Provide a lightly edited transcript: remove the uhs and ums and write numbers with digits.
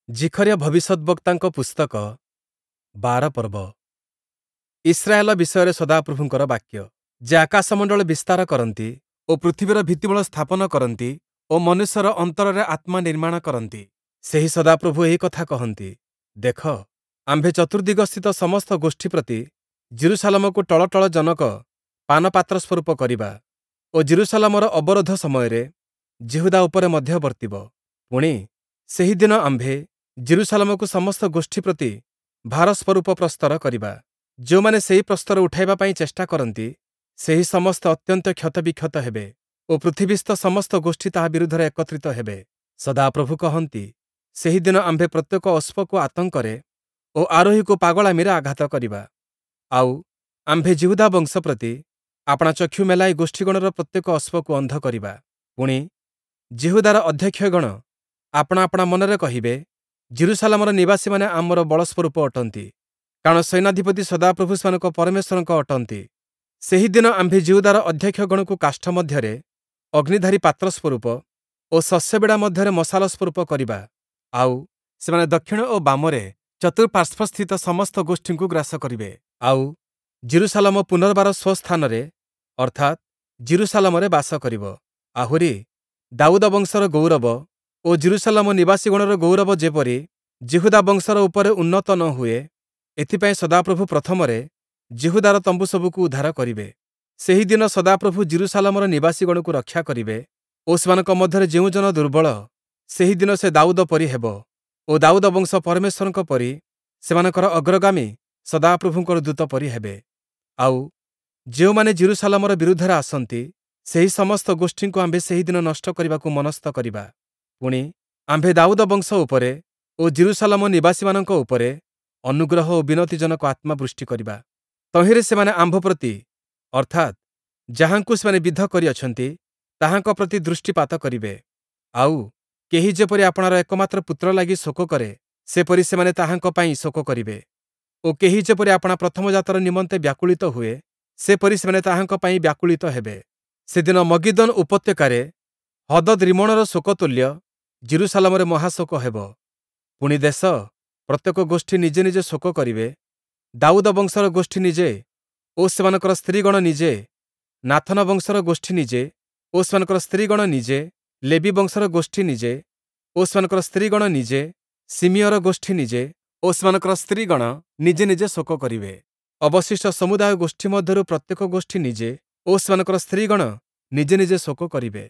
ଜିଖରିୟ ଭବିଷ୍ୟଦ୍‌ବକ୍ତାଙ୍କ ପୁସ୍ତକ, ୧୨ ପର୍ବ। ଇସ୍ରାଏଲ ବିଷୟରେ ସଦାପ୍ରଭୁଙ୍କର ବାକ୍ୟ। ଯେ ଆକାଶମଣ୍ଡଳ ବିସ୍ତାର କରନ୍ତି ଓ ପୃଥିବୀର ଭିତ୍ତିମୂଳ ସ୍ଥାପନ କରନ୍ତି ଓ ମନୁଷ୍ୟର ଅନ୍ତରରେ ଆତ୍ମା ନିର୍ମାଣ କରନ୍ତି, ସେହି ସଦାପ୍ରଭୁ ଏହି କଥା କହନ୍ତି, ଦେଖ, ଆମ୍ଭେ ଚତୁର୍ଦ୍ଦିଗସ୍ଥିତ ସମସ୍ତ ଗୋଷ୍ଠୀ ପ୍ରତି ଯିରୂଶାଲମକୁ ଟଳଟଳଜନକ ପାନପାତ୍ର ସ୍ୱରୂପ କରିବା ଓ ଯିରୂଶାଲମର ଅବରୋଧ ସମୟରେ ଯିହୁଦା ଉପରେ ମଧ୍ୟ ବର୍ତ୍ତିବ। ପୁଣି, ସେହି ଦିନ ଆମ୍ଭେ ଯିରୂଶାଲମକୁ ସମସ୍ତ ଗୋଷ୍ଠୀ ପ୍ରତି ଭାର ସ୍ୱରୂପ ପ୍ରସ୍ତର କରିବା। ଯେଉଁମାନେ ସେହି ପ୍ରସ୍ତର ଉଠାଇବା ପାଇଁ ଚେଷ୍ଟା କରନ୍ତି, ସେହି ସମସ୍ତେ ଅତ୍ୟନ୍ତ କ୍ଷତବିକ୍ଷତ ହେବେ ଓ ପୃଥିବୀସ୍ଥ ସମସ୍ତ ଗୋଷ୍ଠୀ ତାହା ବିରୁଦ୍ଧରେ ଏକତ୍ରିତ ହେବେ। ସଦାପ୍ରଭୁ କହନ୍ତି, ସେହି ଦିନ ଆମ୍ଭେ ପ୍ରତ୍ୟେକ ଅଶ୍ୱକୁ ଆତଙ୍କରେ ଓ ଆରୋହୀକୁ ପାଗଳାମିରେ ଆଘାତ କରିବା। ଆଉ, ଆମ୍ଭେ ଯିହୁଦା ବଂଶ ପ୍ରତି ଆପଣା ଚକ୍ଷୁ ମେଲାଇ ଗୋଷ୍ଠୀଗଣର ପ୍ରତ୍ୟେକ ଅଶ୍ୱକୁ ଅନ୍ଧ କରିବା। ପୁଣି, ଯିହୁଦାର ଅଧ୍ୟକ୍ଷଗଣ ଆପଣା ଆପଣା ମନରେ କହିବେ, ଯିରୂଶାଲମର ନିବାସୀମାନେ ଆମର ବଳସ୍ୱରୂପ ଅଟନ୍ତି, କାରଣ ସୈନ୍ୟାଧିପତି ସଦାପ୍ରଭୁ ସେମାନଙ୍କ ପରମେଶ୍ୱରଙ୍କ ଅଟନ୍ତି। ସେହି ଦିନ ଆମ୍ଭେ ଯିହୁଦାର ଅଧ୍ୟକ୍ଷଗଣକୁ କାଷ୍ଠ ମଧ୍ୟରେ ଅଗ୍ନିଧାରୀ ପାତ୍ର ସ୍ୱରୂପ ଓ ଶସ୍ୟବିଡ଼ା ମଧ୍ୟରେ ମଶାଲ ସ୍ୱରୂପ କରିବା। ଆଉ, ସେମାନେ ଦକ୍ଷିଣ ଓ ବାମରେ ଚତୁଃପାର୍ଶ୍ୱସ୍ଥିତ ସମସ୍ତ ଗୋଷ୍ଠୀଙ୍କୁ ଗ୍ରାସ କରିବେ। ଆଉ, ଯିରୂଶାଲମ ପୁନର୍ବାର ସ୍ୱସ୍ଥାନରେ, ଅର୍ଥାତ୍, ଯିରୂଶାଲମରେ ବାସ କରିବ। ଆହୁରି, ଦାଉଦ ବଂଶର ଗୌରବ ଓ ଯିରୂଶାଲମ ନିବାସୀଗଣର ଗୌରବ ଯେପରି ଯିହୁଦା ବଂଶର ଉପରେ ଉନ୍ନତ ନ ହୁଏ, ଏଥିପାଇଁ ସଦାପ୍ରଭୁ ପ୍ରଥମରେ ଯିହୁଦାର ତମ୍ବୁସବୁକୁ ଉଦ୍ଧାର କରିବେ। ସେହି ଦିନ ସଦାପ୍ରଭୁ ଯିରୂଶାଲମର ନିବାସୀଗଣକୁ ରକ୍ଷା କରିବେ ଓ ସେମାନଙ୍କ ମଧ୍ୟରେ ଯେଉଁ ଜନ ଦୁର୍ବଳ, ସେହି ଦିନ ସେ ଦାଉଦ ପରି ହେବ ଓ ଦାଉଦ ବଂଶ ପରମେଶ୍ୱରଙ୍କ ପରି ସେମାନଙ୍କର ଅଗ୍ରଗାମୀ ସଦାପ୍ରଭୁଙ୍କର ଦୂତ ପରି ହେବେ। ଆଉ, ଯେଉଁମାନେ ଯିରୂଶାଲମର ବିରୁଦ୍ଧରେ ଆସନ୍ତି, ସେହି ସମସ୍ତ ଗୋଷ୍ଠୀଙ୍କୁ ଆମ୍ଭେ ସେହି ଦିନ ନଷ୍ଟ କରିବାକୁ ମନସ୍ଥ କରିବା। ପୁଣି, ଆମ୍ଭେ ଦାଉଦ ବଂଶ ଉପରେ ଓ ଯିରୂଶାଲମ ନିବାସୀମାନଙ୍କ ଉପରେ ଅନୁଗ୍ରହ ଓ ବିନତିଜନକ ଆତ୍ମା ବୃଷ୍ଟି କରିବା। ତହିଁରେ ସେମାନେ ଆମ୍ଭ ପ୍ରତି, ଅର୍ଥାତ୍, ଯାହାଙ୍କୁ ସେମାନେ ବିଦ୍ଧ କରିଅଛନ୍ତି, ତାହାଙ୍କ ପ୍ରତି ଦୃଷ୍ଟିପାତ କରିବେ। ଆଉ, କେହି ଯେପରି ଆପଣାର ଏକମାତ୍ର ପୁତ୍ର ଲାଗି ଶୋକ କରେ, ସେପରି ସେମାନେ ତାହାଙ୍କ ପାଇଁ ଶୋକ କରିବେ ଓ କେହି ଯେପରି ଆପଣା ପ୍ରଥମଜାତର ନିମନ୍ତେ ବ୍ୟାକୁଳିତ ହୁଏ, ସେପରି ସେମାନେ ତାହାଙ୍କ ପାଇଁ ବ୍ୟାକୁଳିତ ହେବେ। ସେଦିନ ମଗିଦ୍ଦୋନ ଉପତ୍ୟକାରେ ହଦଦ୍ ରିମ୍ମୋଣର ଶୋକ ତୁଲ୍ୟ ଯିରୂଶାଲମରେ ମହାଶୋକ ହେବ। ପୁଣି, ଦେଶ ପ୍ରତ୍ୟେକ ଗୋଷ୍ଠୀ ନିଜେ ନିଜେ ଶୋକ କରିବେ, ଦାଉଦ ବଂଶର ଗୋଷ୍ଠୀ ନିଜେ ଓ ସେମାନଙ୍କର ସ୍ତ୍ରୀଗଣ ନିଜେ, ନାଥନ ବଂଶର ଗୋଷ୍ଠୀ ନିଜେ ଓ ସେମାନଙ୍କର ସ୍ତ୍ରୀଗଣ ନିଜେ, ଲେବି ବଂଶର ଗୋଷ୍ଠୀ ନିଜେ ଓ ସେମାନଙ୍କର ସ୍ତ୍ରୀଗଣ ନିଜେ, ଶିମିୟର ଗୋଷ୍ଠୀ ନିଜେ ଓ ସେମାନଙ୍କର ସ୍ତ୍ରୀଗଣ ନିଜେ ନିଜେ ଶୋକ କରିବେ। ଅବଶିଷ୍ଟ ସମୁଦାୟ ଗୋଷ୍ଠୀ ମଧ୍ୟରୁ ପ୍ରତ୍ୟେକ ଗୋଷ୍ଠୀ ନିଜେ ଓ ସେମାନଙ୍କର ସ୍ତ୍ରୀଗଣ ନିଜେ ନିଜେ ଶୋକ କରିବେ।